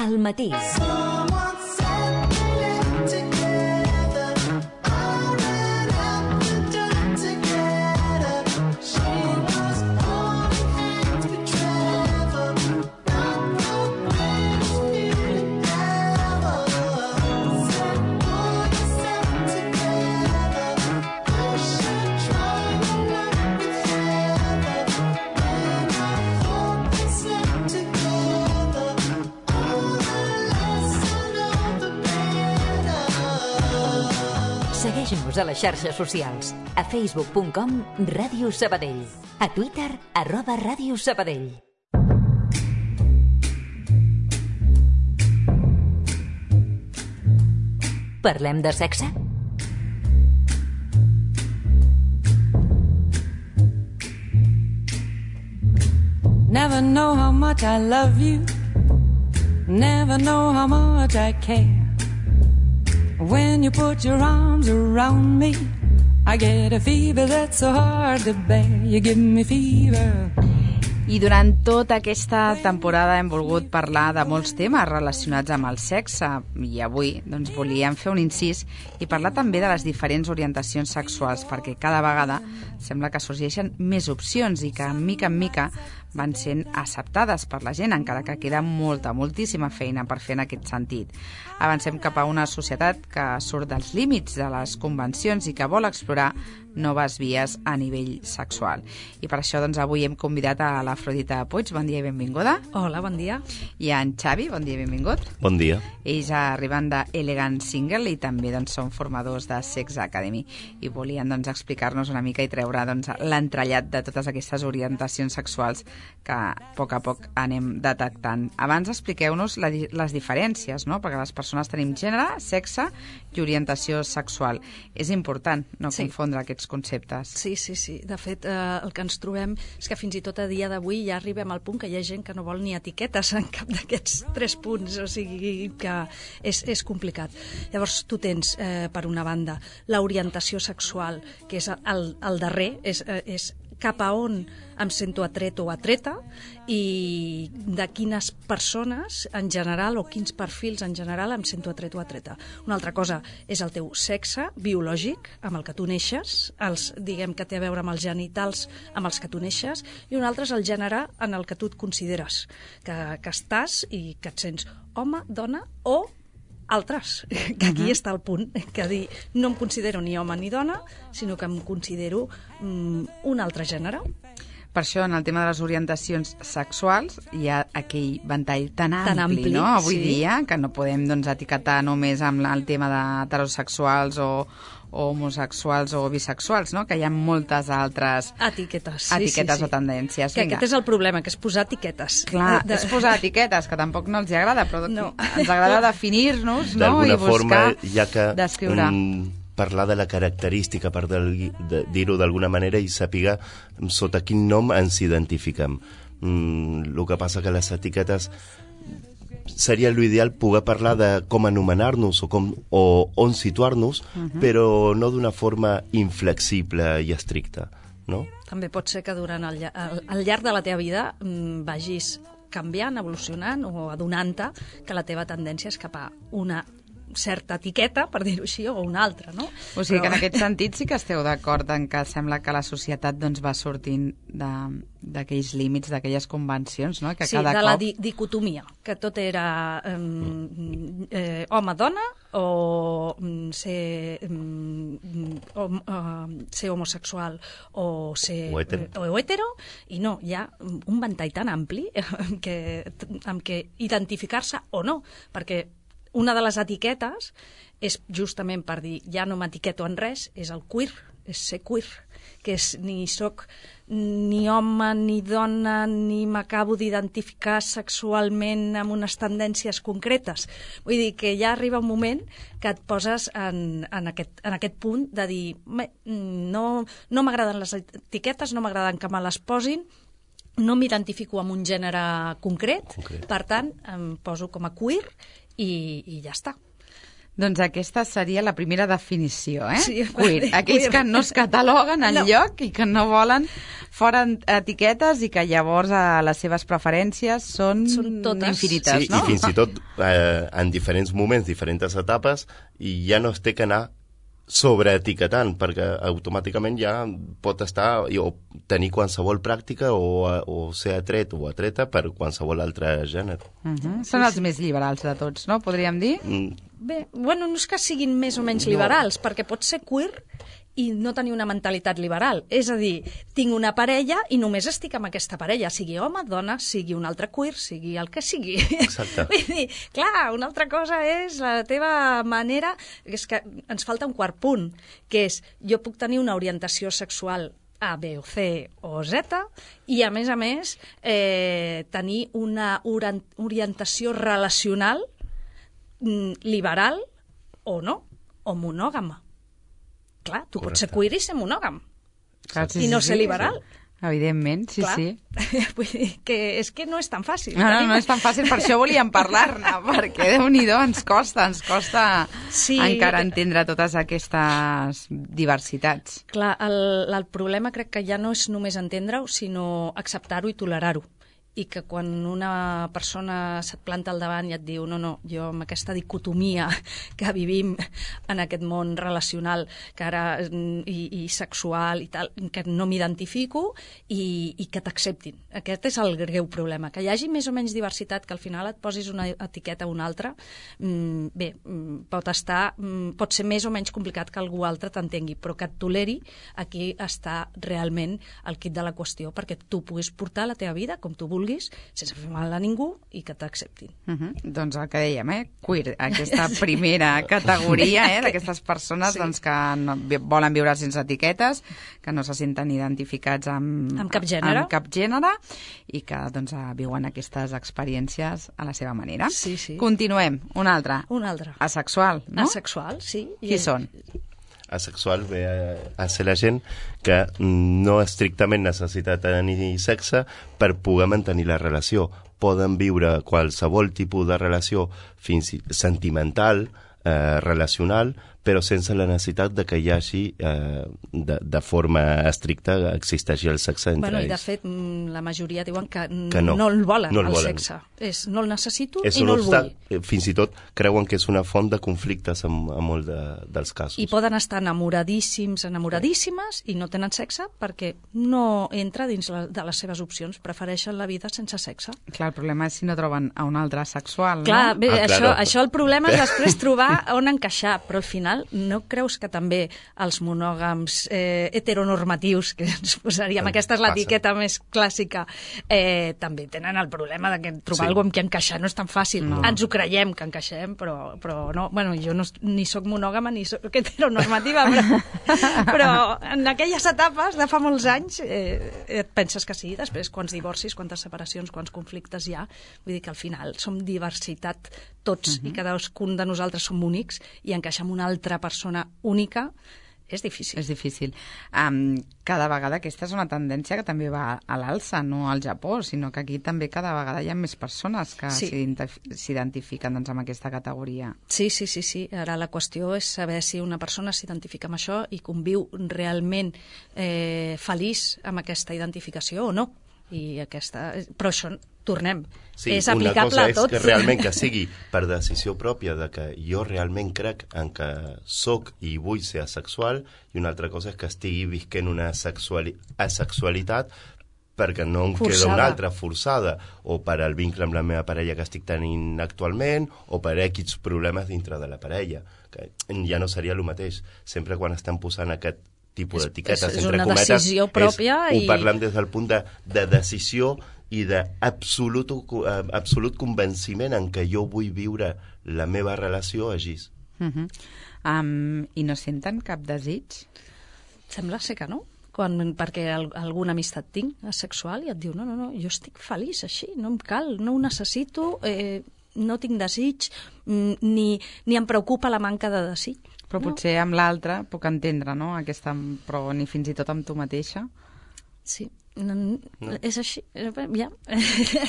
Al matí. Segueix-nos a les xarxes socials. A facebook.com/Ràdio Sabadell. A Twitter @Ràdio Sabadell. Parlem de sexe? Never know how much I love you. Never know how much I care. When you put your arms around me, I get a fever that's so hard to bear. You give me fever. I durant tota aquesta temporada hem volgut parlar de molts temes relacionats amb el sexe i avui doncs, volíem fer un incís i parlar també de les diferents orientacions sexuals perquè cada vegada sembla que sorgeixen més opcions i que en mica van sent acceptades per la gent, encara que queda moltíssima feina per fer en aquest sentit. Avancem cap a una societat que surt dels límits de les convencions i que vol explorar noves vies a nivell sexual. I per això doncs, avui hem convidat a l'Afrodita Puig. Bon dia i benvinguda. Hola, bon dia. I a en Xavi, bon dia i benvingut. Bon dia. Ells arriben d'Elegant Single i també doncs, són formadors de Sex Academy i volien doncs, explicar-nos una mica i treure doncs, l'entrellat de totes aquestes orientacions sexuals que a poc anem detectant. Abans expliqueu-nos les diferències, no? Perquè les persones tenim gènere, sexe i orientació sexual. És important no confondre aquests conceptes. Sí. De fet, el que ens trobem és que fins i tot a dia d'avui ja arribem al punt que hi ha gent que no vol ni etiquetes en cap d'aquests 3 punts, o sigui que és complicat. Llavors, tu tens, per una banda, l'orientació sexual, que és el darrer, és cap a on em sento atret o atreta i de quines persones en general o quins perfils en general em sento atret o atreta. Una altra cosa és el teu sexe biològic amb el que tu neixes, diguem que té a veure amb els genitals amb els que tu neixes, i un altre és el gènere en el que tu et consideres, que estàs i que et sents home, dona o altres, que aquí està el punt, que dir, no em considero ni home ni dona, sinó que em considero un altre gènere. Per això, en el tema de les orientacions sexuals, hi ha aquell ventall tan ampli, no? Avui dia, que no podem doncs, etiquetar només amb el tema d'heterosexuals o homosexuals o bisexuals, no? Que hi ha moltes altres etiquetes o tendències. Que aquest és el problema, que és posar etiquetes. Clar, és posar etiquetes, que tampoc no els agrada, però ens agrada definir-nos, no? I buscar, forma, ja que descriure. Parlar de la característica, per dir-ho d'alguna manera, i saber sota quin nom ens identifiquem. El que passa que les etiquetes seria l'ideal poder parlar de com anomenar-nos o on situar-nos, però no d'una forma inflexible i estricta, no? També pot ser que durant al llarg de la teva vida vagis canviant, evolucionant o adonant-te que la teva tendència és cap a una certa etiqueta, per dir-ho així, o una altra, no? O sigui que en aquest sentit sí que esteu d'acord en que sembla que la societat doncs, va sortint d'aquells límits, d'aquelles convencions, no? Que sí, de la dicotomia, que tot era home-dona o ser homosexual o ser hetero, i no, hi ha un ventall tan ampli amb què identificar-se o no, perquè una de les etiquetes és justament per dir ja no m'etiqueto en res, és el queer, és ser queer, que és ni soc ni home ni dona ni m'acabo d'identificar sexualment amb unes tendències concretes. Vull dir que ja arriba un moment que et poses en aquest punt de dir no m'agraden les etiquetes, no m'agraden que me les posin, no m'identifico amb un gènere concret, per tant em poso com a queer i ja està. Doncs aquesta seria la primera definició, eh? Sí, queer. Aquells que no es cataloguen enlloc i que no volen fora etiquetes i que llavors les seves preferències són totes infinites, sí, no? I fins i tot en diferents moments, diferents etapes, i ja no es té que anar sobreetiquetant, perquè automàticament ja pot estar o tenir qualsevol pràctica o ser atret o atreta per qualsevol altre gènere. Són els més liberals de tots, no? Podríem dir? Bé, bueno, no és que siguin més o menys liberals, perquè pot ser queer i no tenir una mentalitat liberal. És a dir, tinc una parella i només estic amb aquesta parella, sigui home, dona, sigui un altre queer, sigui el que sigui. Exacte. Vull dir, clar, una altra cosa és la teva manera... És que ens falta un quart punt, que és jo puc tenir una orientació sexual A, B o C o Z i, a més, tenir una orientació relacional liberal o no, o monògama. Clar, tu pots ser queer i ser monògam. Clar, I no ser liberal. Evidentment, sí, Clar. sí. Vull dir que és que no és tan fàcil. No és tan fàcil, per això volíem parlar-ne, perquè Déu-n'hi-do ens costa encara entendre totes aquestes diversitats. Clar, el problema crec que ja no és només entendre-ho, sinó acceptar-ho i tolerar-ho. I que quan una persona se't planta al davant i et diu no, jo amb aquesta dicotomia que vivim en aquest món relacional que ara, i sexual i tal, que no m'identifico i que t'acceptin. Aquest és el greu problema. Que hi hagi més o menys diversitat, que al final et posis una etiqueta o una altra, bé, pot ser més o menys complicat que algú altre t'entengui, però que et toleri, aquí està realment el quid de la qüestió, perquè tu puguis portar la teva vida com tu vulguis, sense fer mal a ningú i que t'acceptin. Doncs el que dèiem, queer, aquesta primera categoria d'aquestes persones que no, volen viure sense etiquetes, que no se senten identificats amb cap gènere i que viuen aquestes experiències a la seva manera. Sí. Continuem, una altra. Asexual, no? Asexual, sí. Qui són? Asexual ve a ser la gent que no estrictament necessita tenir sexe per poder mantenir la relació. Poden viure qualsevol tipus de relació fins sentimental, relacional, però sense la necessitat de que hi hagi de forma estricta existeixi el sexe entre ells. I de fet la majoria diuen que no el volen, el sexe. No el necessito i no el vull. Fins i tot creuen que és una font de conflictes en molts dels casos. I poden estar enamoradíssimes i no tenen sexe perquè no entra dins de les seves opcions, prefereixen la vida sense sexe. Clar, el problema és si no troben a un altre sexual, clar, no? Bé, això el problema és després trobar on encaixar, però al final no creus que també els monògams heteronormatius, que ens posaríem, aquesta és l'etiqueta més clàssica, també tenen el problema de que trobar algú amb qui encaixar no és tan fàcil. No. Ens ho creiem que encaixem, però no. Bueno, jo ni soc monògama ni soc heteronormativa, però en aquelles etapes de fa molts anys et penses que sí, després quants divorcis, quantes separacions, quants conflictes hi ha. Vull dir que al final som diversitat tots i cadascun de nosaltres som únics i encaixar amb una altra persona única és difícil. És difícil. Cada vegada aquesta és una tendència que també va a l'alça, no al Japó, sinó que aquí també cada vegada hi ha més persones que s'identifiquen amb aquesta categoria. Sí. Ara la qüestió és saber si una persona s'identifica amb això i conviu realment feliç amb aquesta identificació o no. Però això, tornem, és aplicable a tot. Una cosa és que realment que sigui per decisió pròpia de que jo realment crec en que soc i vull ser asexual, i una altra cosa és que estigui visquent una asexualitat perquè no em queda una altra forçada, o per al vincle amb la meva parella que estic tenint actualment, o per X problemes dintre de la parella, que ja no seria el mateix. Sempre quan estem posant aquest tipus d'etiquetes, entre cometes, decisió pròpia ho parlem des del punt de decisió i d'absolut convenciment en què jo vull viure la meva relació així. I no senten cap desig? Sembla ser que no. Perquè alguna amistat tinc asexual i et diu no, jo estic feliç així, no em cal, no ho necessito, no tinc desig, ni em preocupa la manca de desig. Però potser amb l'altre puc entendre, no? Però ni fins i tot amb tu mateixa. Sí. És així, ja. No,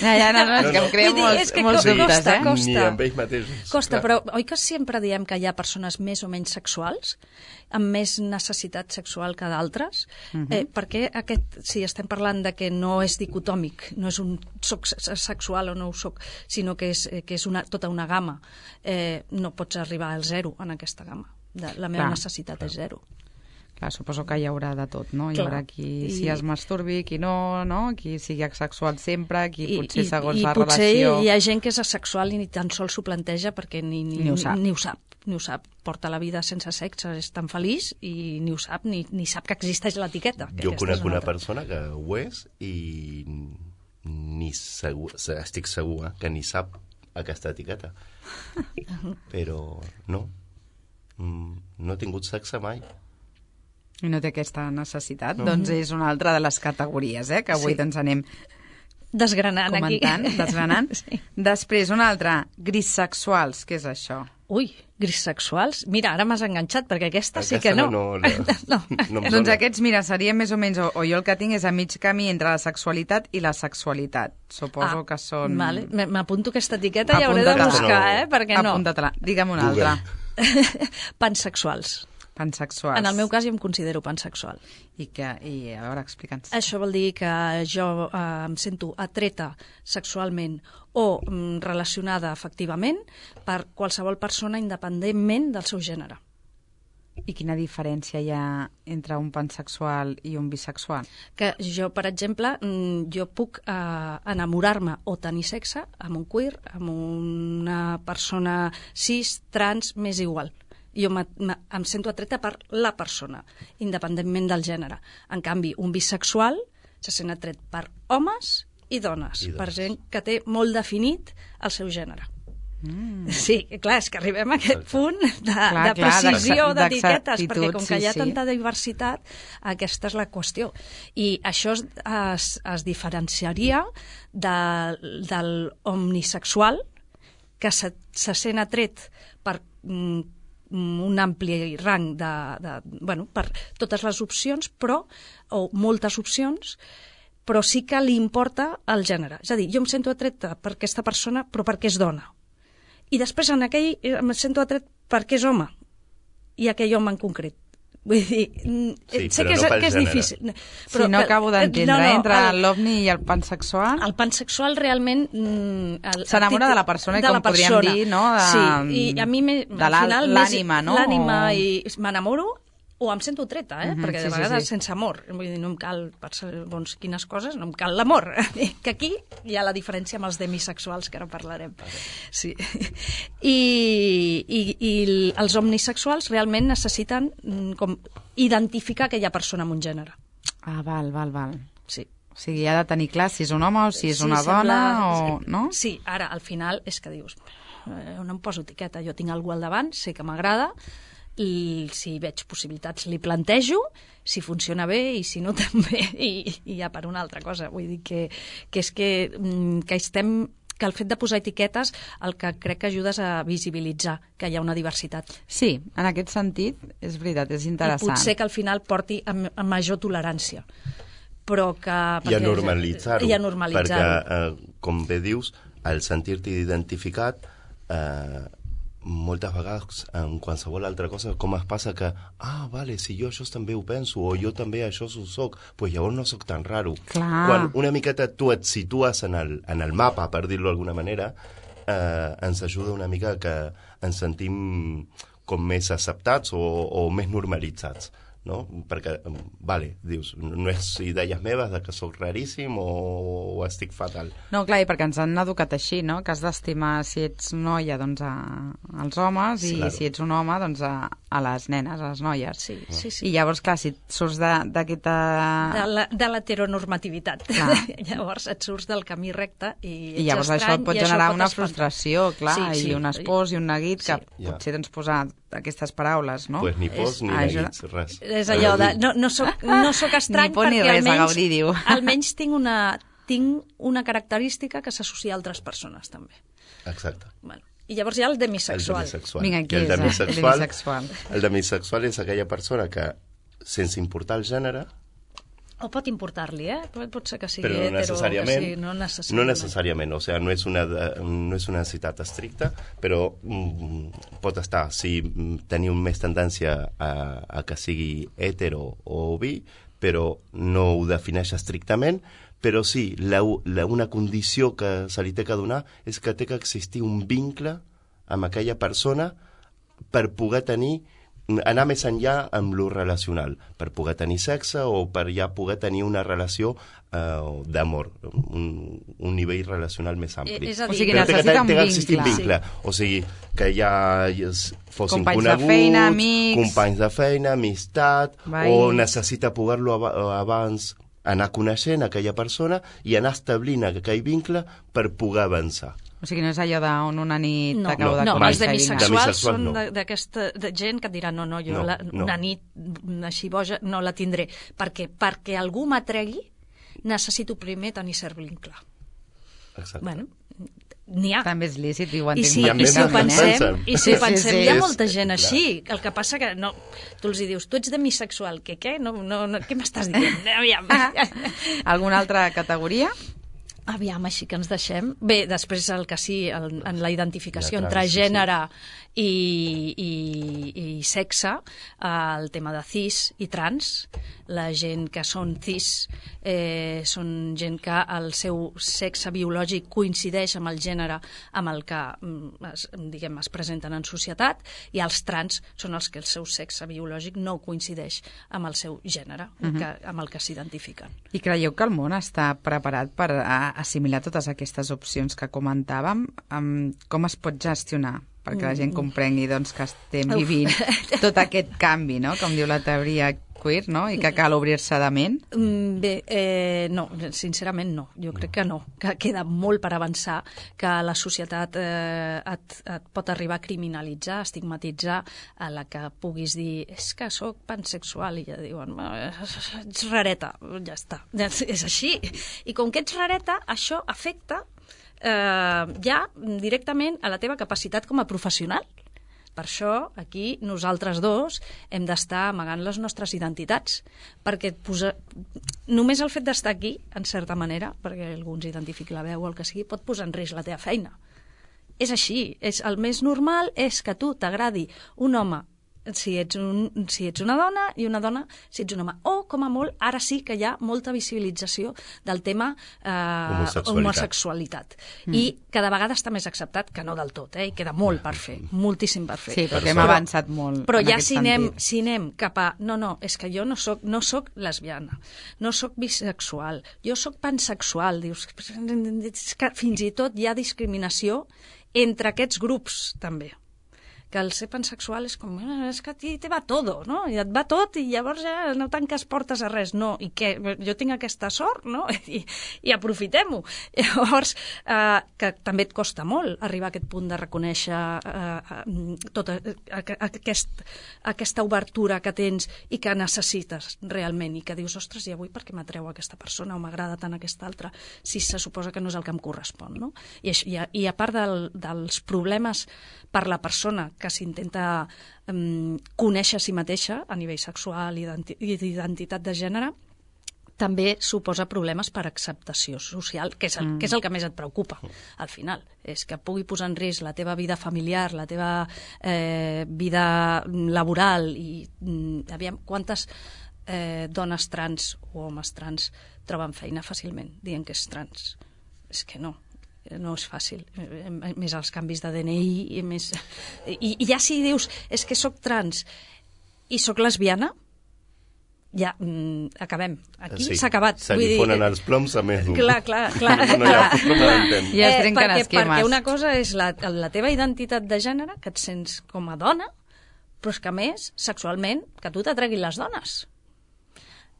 és que em crea molts dubtes, Ni amb ells mateixos. Costa, però oi que sempre diem que hi ha persones més o menys sexuals, amb més necessitat sexual que d'altres? Perquè si estem parlant de que no és dicotòmic, no és un soc sexual o no ho soc, sinó que és tota una gamma, no pots arribar al zero en aquesta gamma. La meva necessitat és zero. Clar, suposo que hi haurà de tot, no? Hi haurà qui si es masturbi, qui no, qui sigui asexual sempre, qui potser segons la relació... I potser hi ha gent que és asexual i ni tan sols s'ho planteja perquè ni ho sap. Porta la vida sense sexe, és tan feliç i ni ho sap, ni sap que existeix l'etiqueta. Jo conec una persona que ho és i estic segur que ni sap aquesta etiqueta. Però no he tingut sexe mai. I no té aquesta necessitat. Doncs és una altra de les categories, que avui doncs anem desgranant desgranant. Sí. Després, una altra, grissexuals. Què és això? Ui, grissexuals? Mira, ara m'has enganxat, perquè aquesta sí que no. Doncs aquests, mira, seria més o menys, o jo el que tinc és a mig camí entre la sexualitat i la sexualitat. Suposo que són... Vale. M'apunto aquesta etiqueta i hauré de buscar, perquè no. Apunta-te-la. Digue'm una altra. Pansexuals. Pansexuals. En el meu cas jo em considero pansexual. I a veure, explica'ns. Això vol dir que jo em sento atreta sexualment o relacionada afectivament per qualsevol persona independentment del seu gènere. I quina diferència hi ha entre un pansexual i un bisexual? Que jo, per exemple, jo puc enamorar-me o tenir sexe amb un queer, amb una persona cis, trans, m'és igual. Jo em sento atreta per la persona, independentment del gènere. En canvi, un bisexual se sent atret per homes i dones, per gent que té molt definit el seu gènere. Sí, clar, és que arribem a aquest punt de precisió d'etiquetes, perquè com que hi ha tanta diversitat, aquesta és la qüestió. I això es diferenciaria del omnisexual, que se sent atret per un ampli rang per totes les opcions, o moltes opcions, però sí que li importa el gènere. És a dir, jo em sento atreta per aquesta persona, però perquè és dona. I després en aquell em sento atret perquè és home, i aquell home en concret. Vull dir, sé que és difícil. Però no acabo d'entendre, entre l'ovni i el pansexual... El pansexual realment... S'enamora de la persona, com podríem dir, no? Sí, i a mi de l'ànima, no? L'ànima, i m'enamoro o em sento treta, perquè de vegades sense amor. Vull dir, no em cal, per segons quines coses, no em cal l'amor. Que aquí hi ha la diferència amb els demisexuals, que ara parlarem. Sí. I els omnisexuals realment necessiten com identificar aquella persona amb un gènere. Ah, val. Sí. O sigui, ha de tenir clar si és un home o si és una dona, no? Sí, ara, al final, és que dius, no em poso etiqueta, jo tinc algú al davant, sé que m'agrada, i si veig possibilitats li plantejo, si funciona bé i si no també, i ja per una altra cosa. Vull dir que el fet de posar etiquetes el que crec que ajuda és a visibilitzar que hi ha una diversitat. Sí, en aquest sentit, és veritat, és interessant. I potser que al final porti a major tolerància. Però que... I a normalitzar-ho. Perquè, com bé dius, al sentir-te identificat... moltes vegades en qualsevol altra cosa com es passa que, vale, si jo això també ho penso o jo també això ho soc, pues llavors no soc tan raro. Clar. Quan una miqueta tu et situes en el mapa, per dir-lo d'alguna manera, ens ajuda una mica que ens sentim com més acceptats o més normalitzats, no? Perquè, vale, dius, no és idees meves de que sóc raríssim o estic fatal. No, clar, i perquè ens han educat així, no? Que has d'estimar, si ets noia, doncs als homes, i si ets un home, doncs a les nenes, a les noies. Sí. I llavors, clar, si surts d'aquesta... De l'heteronormativitat. Llavors et surts del camí recte i llavors això et pot generar una frustració, clar, i un espòs i un neguit que potser doncs posar aquestes paraules, no? Pues ni pos ni neguits, res. És allò de... No soc estrany perquè almenys tinc una característica que s'associa a altres persones, també. Exacte. Bueno, i llavors hi ha el demisexual. Vinga, qui és el demisexual? El demisexual és aquella persona que, sense importar el gènere, O pot importar-li, pot ser que sigui però no necessàriament, sí, no necessàriament, o sigui, no és una necessitat estricta, però pot estar, si teniu més tendència a que sigui hetero o bi, però no ho defineix estrictament, però sí, una condició que se li té que donar és que té que existir un vincle amb aquella persona per poder anar més enllà amb lo relacional, per poder tenir sexe o per ja poder tenir una relació d'amor, un nivell relacional més ampli. És a dir, que necessita un vincle. Sí. O sigui, que ja fossin companys coneguts, de feina, amics, companys de feina, amistat, o necessita poder-lo abans anar coneixent aquella persona i anar establint aquell vincle per poder avançar. O sigui, no és allò d'on una nit t'acabo de conèixer. No, els demisexuals són d'aquesta gent que et dirà no, jo una nit així boja no la tindré. Perquè algú m'atregui, necessito primer tenir cert vincle. Exacte. Bueno, n'hi ha. També és lícit, i ho entenc. I si ho pensem, hi ha molta gent clar. així. El que passa que no, tu els dius, tu ets demisexual, què? No, què m'estàs dient? Aviam. Alguna altra categoria? Aviam, així que ens deixem. Bé, després el que sí, en la identificació entre sí, gènere i sexe, el tema de cis i trans, la gent que són cis són gent que el seu sexe biològic coincideix amb el gènere amb el que es presenten en societat, i els trans són els que el seu sexe biològic no coincideix amb el seu gènere, amb el que s'identifiquen. I creieu que el món està preparat per assimilar totes aquestes opcions que comentàvem? Com es pot gestionar perquè la gent comprengui que estem vivint tot aquest canvi, no? Com diu la teoria queer, no? I que cal obrir-se de ment? Bé, no, sincerament no. Jo crec que no, que queda molt per avançar, que la societat et pot arribar a criminalitzar, a estigmatitzar, a la que puguis dir és que sóc pansexual, i ja diuen ets rareta, ja està, és així. I com que ets rareta, això afecta ja directament a la teva capacitat com a professional. Per això, aquí, nosaltres dos hem d'estar amagant les nostres identitats, perquè només el fet d'estar aquí, en certa manera, perquè algú ens identifiqui la veu o el que sigui, pot posar en risc la teva feina. És així. El més normal és que a tu t'agradi un home si ets una dona, i una dona si ets un home. O, com a molt, ara sí que hi ha molta visibilització del tema homosexualitat. I cada vegada està més acceptat, que no del tot, i queda molt per fer, moltíssim per fer. Sí, perquè hem avançat molt. Però ja si anem cap a... No, és que jo no soc lesbiana, no soc bisexual, jo soc pansexual. Dius, que fins i tot hi ha discriminació entre aquests grups, també. Que el ser pansexual és com, és que a ti te va todo, no? I et va tot i llavors ja no tanques portes a res. No, i què? Jo tinc aquesta sort, no? I aprofitem-ho. Llavors, que també et costa molt arribar a aquest punt de reconèixer tota aquesta obertura que tens i que necessites realment, i que dius, ostres, i avui per què m'atreu aquesta persona o m'agrada tant aquesta altra, si se suposa que no és el que em correspon, no? I a part dels problemes per la persona que s'intenta conèixer a si mateixa a nivell sexual i d'identitat de gènere, també suposa problemes per acceptació social, que és el que més et preocupa, al final. És que pugui posar en risc la teva vida familiar, la teva vida laboral, i aviam quantes dones trans o homes trans troben feina fàcilment dient que és trans. És que no és fàcil, més els canvis de DNI i ja si dius és que sóc trans i sóc lesbiana, ja acabem, aquí s'ha acabat. Se li fonen els ploms a més d'un. Clar. Ja es trenquen esquemes. Perquè una cosa és la teva identitat de gènere, que et sents com a dona, però és que a més, sexualment, que a tu t'atreguin les dones.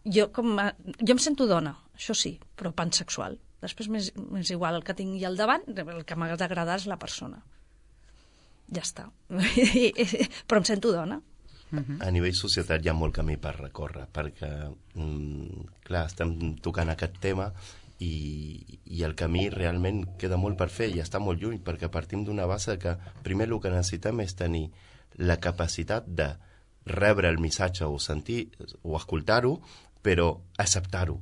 Jo em sento dona, això sí, però pansexual. Després m'és igual el que tingui al davant, el que m'ha d'agradar és la persona. Ja està. Però em sento dona. A nivell societat hi ha molt camí per recórrer, perquè, clar, estem tocant aquest tema i el camí realment queda molt per fer i està molt lluny, perquè partim d'una base que primer el que necessitem és tenir la capacitat de rebre el missatge o sentir o escoltar-ho però acceptar-ho,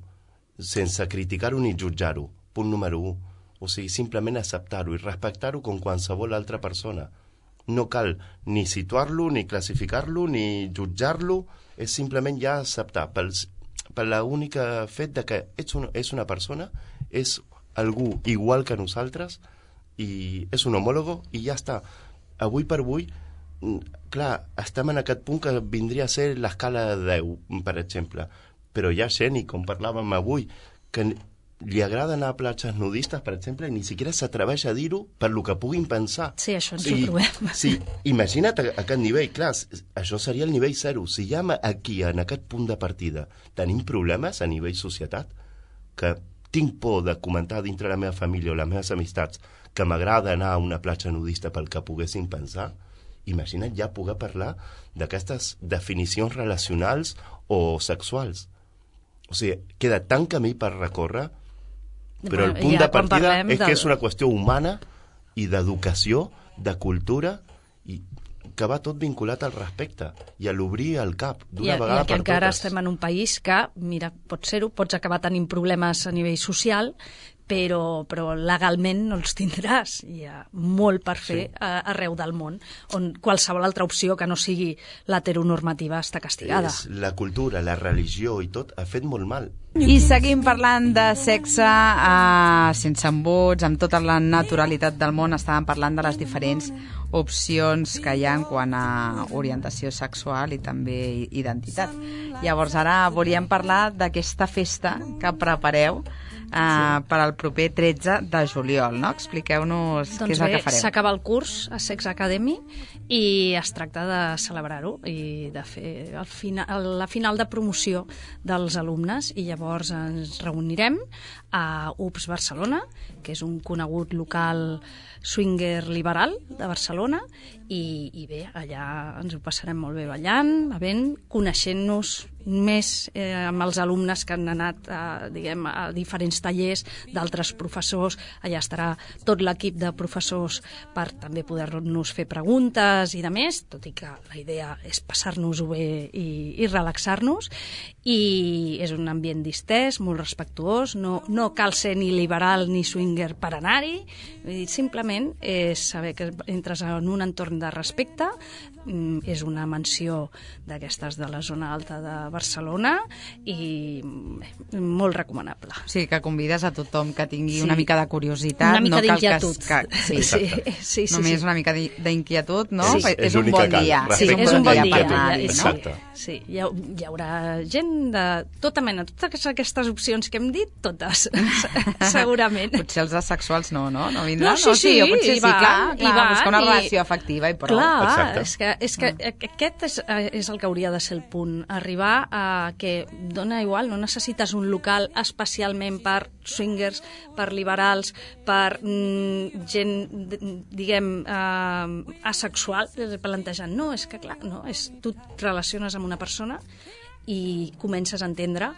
sense criticar-ho ni jutjar-ho. Punt número 1. O sigui, simplement acceptar-ho i respectar-ho com qualsevol altra persona. No cal ni situar-lo, ni classificar-lo, ni jutjar-lo, és simplement ja acceptar, per l'única fet de que és una persona, és algú igual que nosaltres, i és un homòlogo, i ja està. Avui per avui, clar, estem en aquest punt que vindria a ser l'escala de 10, per exemple, però hi ha gent, i com parlàvem avui, que li agrada anar a platges nudistes, per exemple, i ni siquiera s'atreveix a dir-ho per lo que puguin pensar. Sí, això ens ho trobem. Sí, imagina't a aquest nivell, clar, això seria el nivell 0. Si ja aquí, en aquest punt de partida, tenim problemes a nivell societat, que tinc por de comentar dintre la meva família o les meves amistats que m'agrada anar a una platja nudista pel que poguessin pensar, imagina't ja poder parlar d'aquestes definicions relacionals o sexuals. O sigui, queda tant camí per recórrer, però el punt de partida és que és una qüestió humana i d'educació, de cultura, i que va tot vinculat al respecte i a l'obrir el cap d'una vegada per totes. I encara estem en un país que, mira, pot ser-ho, pots acabar tenint problemes a nivell social, però legalment no els tindràs. Hi ha molt per fer arreu del món, on qualsevol altra opció que no sigui l'heteronormativa està castigada. La cultura, la religió i tot ha fet molt mal. I seguim parlant de sexe sense embuts, amb tota la naturalitat del món. Estàvem parlant de les diferents opcions que hi ha en quant a orientació sexual i també identitat. Llavors ara volíem parlar d'aquesta festa que prepareu per al proper 13 de juliol, no? Expliqueu-nos què és el que fareu. S'acaba el curs a Sex Academy i es tracta de celebrar-ho i de fer la final de promoció dels alumnes, i llavors ens reunirem a UPS Barcelona, que és un conegut local swinger liberal de Barcelona, i bé, allà ens ho passarem molt bé ballant, bevent, coneixent-nos més amb els alumnes que han anat a diferents tallers d'altres professors. Allà estarà tot l'equip de professors per també poder-nos fer preguntes i de més, tot i que la idea és passar-nos-ho bé i relaxar-nos, i és un ambient distès, molt respectuós, no cal ser ni liberal ni swinger per anar-hi, simplement és saber que entres en un entorn de respecte. És una mansió d'aquestes de la zona alta de Barcelona i molt recomanable. Sí, que convides a tothom que tingui una mica de curiositat. Una mica d'inquietud. Sí. Només una mica d'inquietud, no? Sí. És un bon dia. Sí, és un bon dia per anar-hi. Exacte. Sí, hi haurà gent de tota mena, totes aquestes opcions que hem dit, totes, segurament. Potser els asexuals no vindran? Sí, potser sí, clar, buscar una relació afectiva i prou. Clar, és que aquest és el que hauria de ser el punt, arribar a que dona igual, no necessites un local especialment per swingers, per liberals, per gent, diguem, asexual, plantejant, no, és que clar, no, tu et relaciones amb una persona i comences a entendre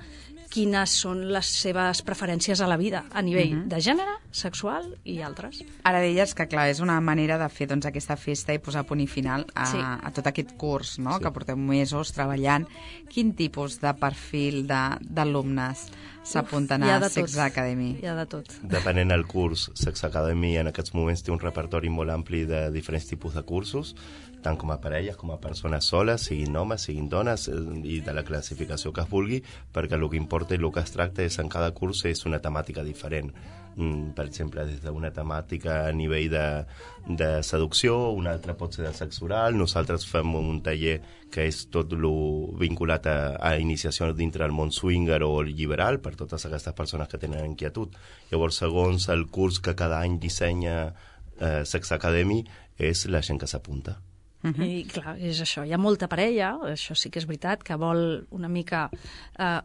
quines són les seves preferències a la vida, a nivell de gènere, sexual i altres. Ara deies que, clar, és una manera de fer aquesta festa i posar punt i final a tot aquest curs, no? Que porteu mesos treballant. Quin tipus de perfil d'alumnes s'apunten a Sex Academy? Hi ha de tot. Depenent del curs, Sex Academy en aquests moments té un repertori molt ampli de diferents tipus de cursos, tant com a parelles com a persones soles, siguin homes, siguin dones, i de la classificació que es vulgui, perquè el que importa i el que es tracta és en cada curs és una temàtica diferent. Per exemple, des d'una temàtica a nivell de seducció, una altra pot ser de sexe oral. Nosaltres fem un taller que és tot lo vinculat a iniciació dintre del món swinger o liberal per totes aquestes persones que tenen inquietud. Llavors, segons el curs que cada any dissenya Sex Academy, és la gent que s'apunta. I clar, és això, hi ha molta parella, això sí que és veritat, que vol una mica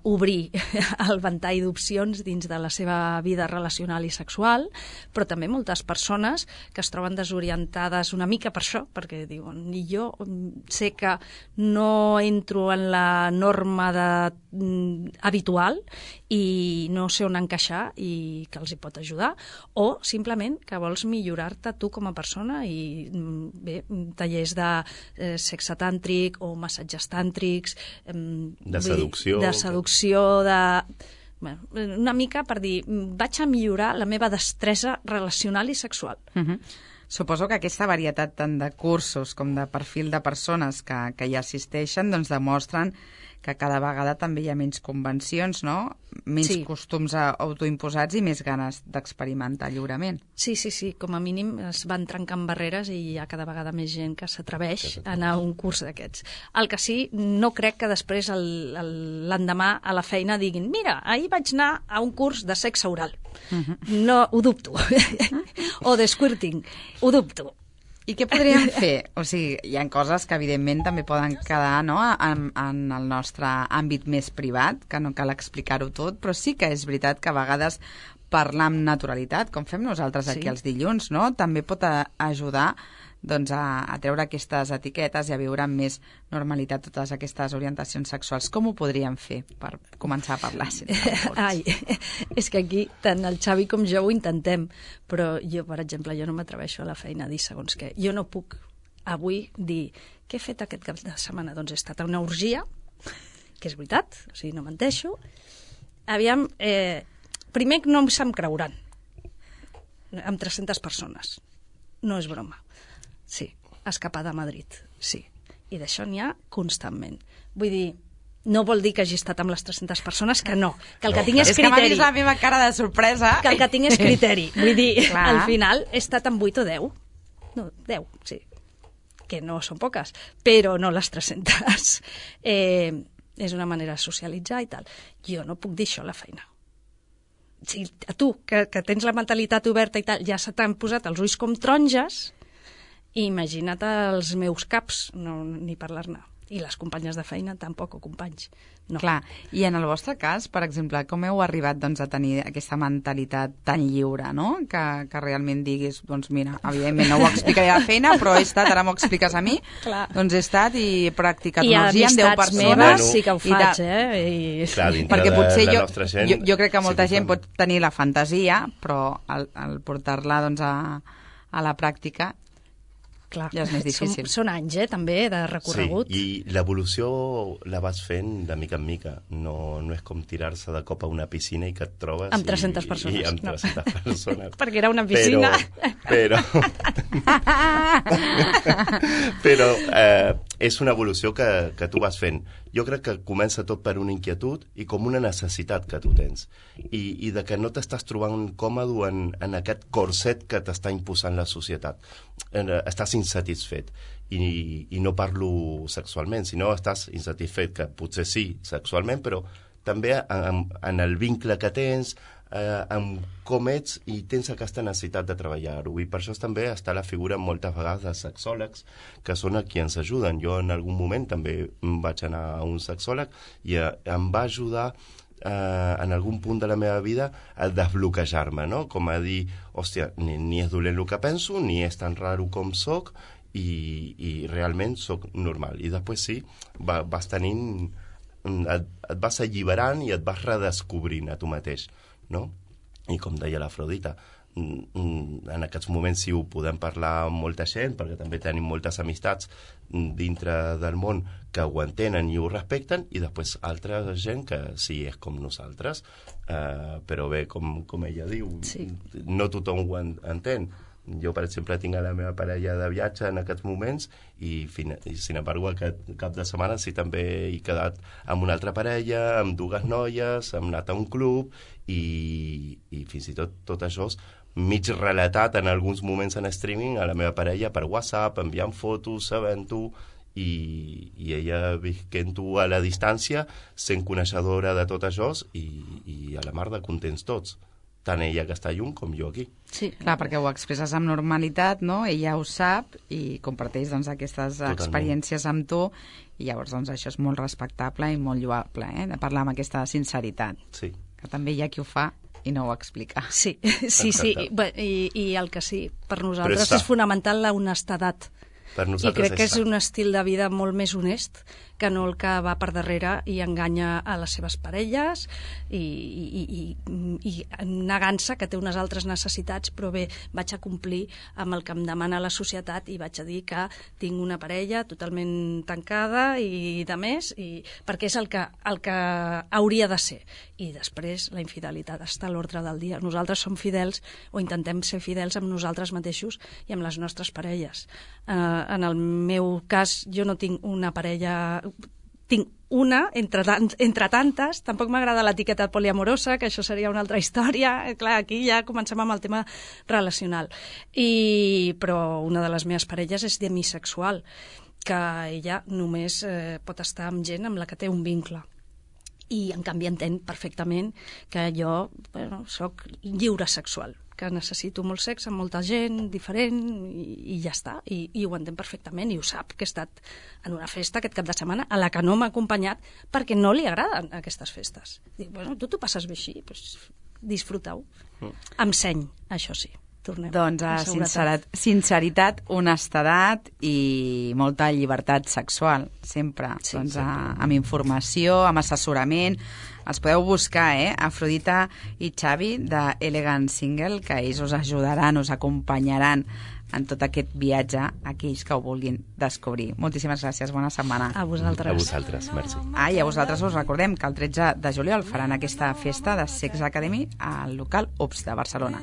obrir el ventall d'opcions dins de la seva vida relacional i sexual, però també moltes persones que es troben desorientades una mica per això, perquè diuen, jo sé que no entro en la norma habitual i no sé on encaixar i que els hi pot ajudar, o simplement que vols millorar-te tu com a persona i bé, tallers de de sexe tàntric o massatges tàntrics, de seducció, bueno, una mica per dir, vaig a millorar la meva destresa relacional i sexual. Suposo que aquesta varietat tant de cursos com de perfil de persones que hi assisteixen doncs demostren que cada vegada també hi ha menys convencions, no? Menys costums autoimposats i més ganes d'experimentar lliurement. Sí, com a mínim es van trencant barreres i hi ha cada vegada més gent que s'atreveix a anar a un curs d'aquests. El que sí, no crec que després l'endemà a la feina diguin mira, ahir vaig anar a un curs de sexe oral. No, ho dubto. O de squirting, ho dubto. I què podríem fer? O sigui, hi ha coses que evidentment també poden quedar, no?, en el nostre àmbit més privat, que no cal explicar-ho tot, però sí que és veritat que a vegades parlar amb naturalitat, com fem nosaltres aquí els dilluns, no?, també pot ajudar doncs, a treure aquestes etiquetes i a viure amb més normalitat totes aquestes orientacions sexuals. Com ho podríem fer per començar a parlar? Ai, és que aquí tant el Xavi com jo ho intentem, però jo, per exemple, jo no m'atreveixo a la feina a dir segons què. Jo no puc avui dir què he fet aquest cap de setmana. Doncs he estat a una orgia, que és veritat, o sigui, no menteixo. Aviam, primer no se'm creuran, amb 300 persones. No és broma. Sí, escapada a Madrid, sí. I d'això n'hi ha constantment. Vull dir, no vol dir que hagi estat amb les 300 persones, que no. Que el que tinc és criteri. És que m'ha vist la meva cara de sorpresa. Que el que tinc és criteri. Vull dir, al final he estat amb 8 o 10. No, 10, sí. Que no són poques, però no les 300. És una manera de socialitzar i tal. Jo no puc dir això a la feina. Si a tu, que tens la mentalitat oberta i tal, ja se t'han posat els ulls com taronges, imagina't els meus caps, no, ni parlar-ne. I les companyes de feina tampoc, o companys. No. Clar, i en el vostre cas, per exemple, com heu arribat doncs, a tenir aquesta mentalitat tan lliure, no?, que realment diguis, doncs mira, evidentment no ho explicaré a la feina, però he estat, ara m'ho expliques a mi, doncs he estat i he practicat una orgia amb 10 persones. I meves sí que ho faig, Clar, perquè potser la nostra gent... Jo crec que molta gent pot tenir la fantasia, però al portar-la doncs, a la pràctica clar, ja és més difícil. Són anys, també, de recorregut. Sí, i l'evolució la vas fent de mica en mica. No és com tirar-se de cop a una piscina i que et trobes... Amb 300 persones. I amb 300 persones. Perquè era una piscina. Però és una evolució que tu vas fent. Jo crec que comença tot per una inquietud i com una necessitat que tu tens. I de que no t'estàs trobant còmode en aquest corset que t'està imposant la societat. Estàs insatisfet. I no parlo sexualment, sinó estàs insatisfet, que potser sí, sexualment, però també en el vincle que tens, amb com ets, i tens aquesta necessitat de treballar-ho. I per això també està la figura moltes vegades de sexòlegs, que són qui ens ajuden. Jo en algun moment també vaig anar a un sexòleg i em va ajudar en algun punt de la meva vida a desbloquejar-me, no? Com a dir, hòstia, ni és dolent el que penso, ni és tan raro com soc, i realment soc normal. I després sí, vas tenint... et vas alliberant i et vas redescobrint a tu mateix, no? I com deia l'Afrodita, en aquests moments sí ho podem parlar amb molta gent, perquè també tenim moltes amistats dintre del món que ho entenen i ho respecten, i després altra gent que sí és com nosaltres, però bé, com ella diu, sí. No tothom ho entén. Jo, per exemple, tinc a la meva parella de viatge en aquests moments i sin embargo, aquest cap de setmana sí també he quedat amb una altra parella, amb dues noies, hem anat a un club i fins i tot això mig relatat en alguns moments en streaming a la meva parella per WhatsApp, enviant fotos, sabent-ho, i ella visquent-ho a la distància, sent coneixedora de tot això i a la mar de contents tots. Tant ella que està lluny com jo aquí. Sí, clar, perquè ho expresses amb normalitat, no? Ella ho sap i comparteix doncs, aquestes experiències amb tu, i llavors doncs, això és molt respectable i molt lloable, de parlar amb aquesta sinceritat. Sí. Que també hi ha qui ho fa i no ho explica. Sí. I el que sí, per nosaltres és fonamental la honestedat Per I nosaltres crec que és fa. un estil de vida molt més honest que no el que va per darrere i enganya a les seves parelles i negant-se que té unes altres necessitats, però bé, vaig a complir amb el que em demana la societat i vaig a dir que tinc una parella totalment tancada i de més, perquè és el que hauria de ser. I després la infidelitat està a l'ordre del dia. Nosaltres som fidels o intentem ser fidels amb nosaltres mateixos i amb les nostres parelles. En el meu cas, jo no tinc una parella, tinc una entre tantes. Tampoc m'agrada l'etiqueta poliamorosa, que això seria una altra història. Clar, aquí ja comencem amb el tema relacional. Però una de les meves parelles és demisexual, que ella només pot estar amb gent amb la que té un vincle. I en canvi entén perfectament que jo soc lliure sexual, que necessito molt sexe amb molta gent diferent i ja està, i ho entén perfectament i ho sap, que he estat en una festa aquest cap de setmana a la que no m'ha acompanyat perquè no li agraden aquestes festes. Dic, tu t'ho passes bé així, doncs disfruta-ho. Amb seny, això sí. Tornem. Doncs sinceritat, honestedat i molta llibertat sexual, sempre. Sí, doncs, amb informació, amb assessorament. Els podeu buscar, Afrodita i Xavi, de Elegant Single, que ells us ajudaran, us acompanyaran en tot aquest viatge a aquells que ho vulguin descobrir. Moltíssimes gràcies, bona setmana. A vosaltres. A vosaltres, merci. I a vosaltres us recordem que el 13 de juliol faran aquesta festa de Sex Academy al local UPS de Barcelona.